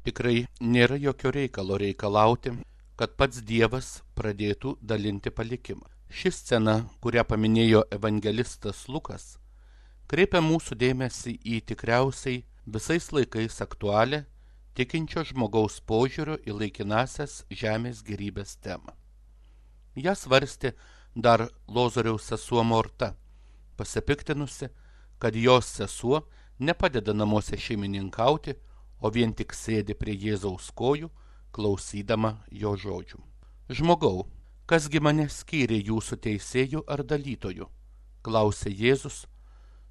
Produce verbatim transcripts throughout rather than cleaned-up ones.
Tikrai nėra jokio reikalo reikalauti, kad pats Dievas pradėtų dalinti palikimą. Ši scena, kurią paminėjo evangelistas Lukas, kreipia mūsų dėmesį į tikriausiai visais laikais aktualią tikinčio žmogaus požiūrio į laikinasias žemės gėrybės temą. Ją svarstė dar Lozoriaus sesuo Morta, pasipiktinusi, kad jos sesuo nepadeda namuose šeimininkauti, o vien tik sėdi prie Jėzaus kojų, klausydama jo žodžių. Žmogau, kasgi mane skyrė jūsų teisėjų ar dalytojų? Klausė Jėzus,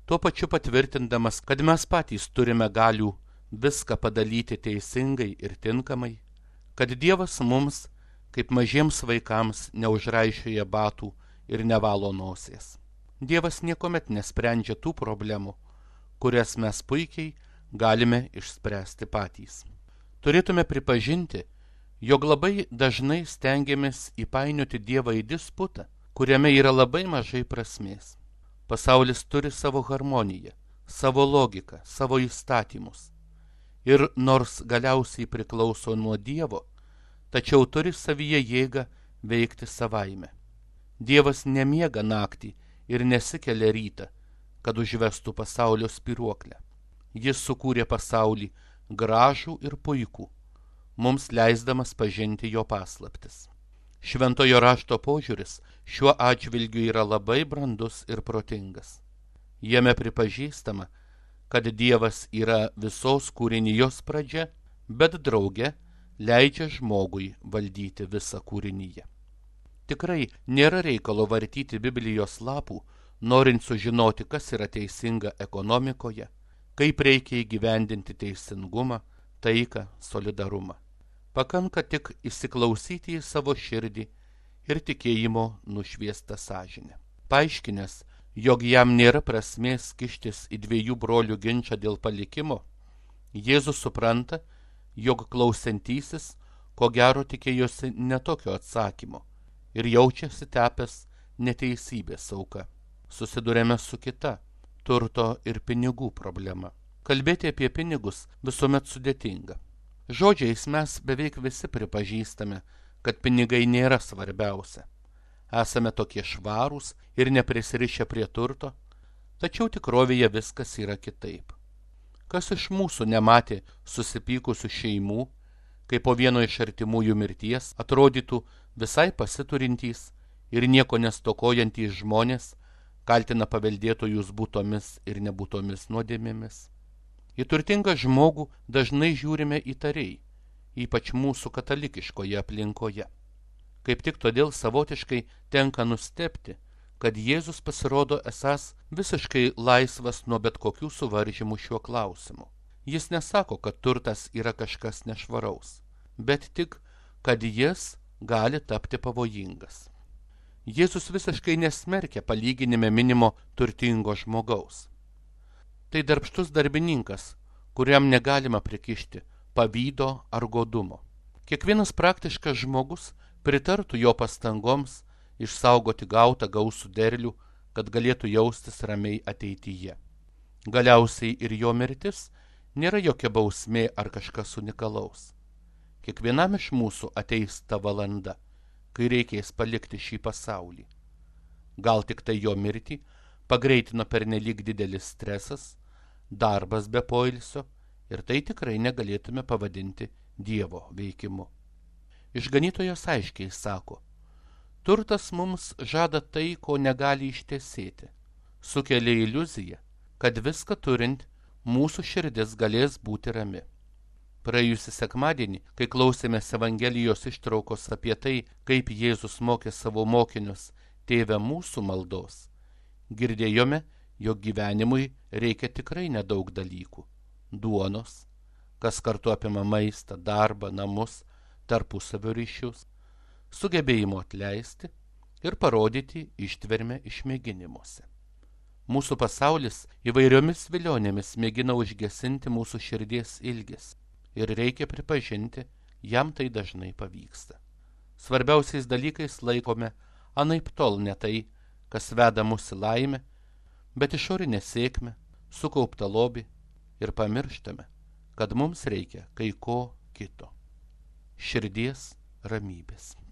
tuo pačiu patvirtindamas, kad mes patys turime galių viską padalyti teisingai ir tinkamai, kad Dievas mums, kaip mažiems vaikams, neužraišioja batų ir nevalo nosies. Dievas niekuomet nesprendžia tų problemų, kurias mes puikiai galime išspręsti patys. Turėtume pripažinti, jog labai dažnai stengiamės įpainioti Dievą į disputą, kuriame yra labai mažai prasmės. Pasaulis turi savo harmoniją, savo logiką, savo įstatymus. Ir nors galiausiai priklauso nuo Dievo, tačiau turi savyje jėgą veikti savaime. Dievas nemiega naktį ir nesikelia rytą, kad užvestų pasaulio spyruoklę. Jis sukūrė pasaulį gražų ir puikų, mums leisdamas pažinti jo paslaptis. Šventojo rašto požiūris šiuo atžvilgiu yra labai brandus ir protingas. Jame pripažįstama, kad Dievas yra visos kūrinijos pradžia, bet drauge leidžia žmogui valdyti visą kūriniją. Tikrai nėra reikalo vartyti Biblijos lapų, norint sužinoti, kas yra teisinga ekonomikoje, kaip reikia įgyvendinti teisingumą, taiką, solidarumą. Pakanka tik įsiklausyti į savo širdį ir tikėjimo nušviestą sąžinę. Paaiškinęs, jog jam nėra prasmės kištis į dviejų brolių ginčą dėl palikimo, Jėzus supranta, jog klausantysis, ko gero tikėjosi netokio atsakymo ir jaučiasi tepęs neteisybės auka. Susidurėme su kita turto ir pinigų problema. Kalbėti apie pinigus visuomet sudėtinga. Žodžiais mes beveik visi pripažįstame, kad pinigai nėra svarbiausia. Esame tokie švarūs ir neprisirišę prie turto, tačiau tikrovėje viskas yra kitaip. Kas iš mūsų nematė susipykusių šeimų, kai po vieno iš artimųjų mirties atrodytų visai pasiturintys ir nieko nestokojantys žmonės kaltina paveldėtojus būtomis ir nebūtomis nuodėmėmis. Į turtingą žmogų dažnai žiūrime įtariai, ypač mūsų katalikiškoje aplinkoje. Kaip tik todėl savotiškai tenka nustebti, kad Jėzus pasirodo esąs visiškai laisvas nuo bet kokių suvaržymų šiuo klausimu. Jis nesako, kad turtas yra kažkas nešvaraus, bet tik, kad jis gali tapti pavojingas. Jėzus visiškai nesmerkia palyginime minimo turtingo žmogaus. Tai darbštus darbininkas, kuriam negalima prikišti pavydo ar godumo. Kiekvienas praktiškas žmogus pritartų jo pastangoms išsaugoti gautą gausų derlių, kad galėtų jaustis ramiai ateityje. Galiausiai ir jo mirtis nėra jokia bausmė ar kažkas unikalaus. Kiekvienam iš mūsų ateis ta valanda, kai reikės palikti šį pasaulį. Gal tik tai jo mirtį pagreitino pernelyg didelis stresas, darbas be poilsio, ir tai tikrai negalėtume pavadinti Dievo veikimu. Išganytojas aiškiai sako, turtas mums žada tai, ko negali ištesėti, sukelia iliuziją, kad viską turint mūsų širdis galės būti rami. Praėjusį sekmadienį, kai klausėmės Evangelijos ištraukos apie tai, kaip Jėzus mokė savo mokinius Tėve mūsų maldos, girdėjome, jog gyvenimui reikia tikrai nedaug dalykų – duonos, kas kartu apima maistą, darbą, namus, tarpusavio ryšius, sugebėjimo atleisti ir parodyti ištvermę išmėginimuose. Mūsų pasaulis įvairiomis vilionėmis mėgina užgesinti mūsų širdies ilgesį. Ir reikia pripažinti, jam tai dažnai pavyksta. Svarbiausiais dalykais laikome anaiptol ne tai, kas veda mus į laimę, bet išorinę sėkmę, sukauptą lobį ir pamirštame, kad mums reikia kai ko kito. Širdies ramybės.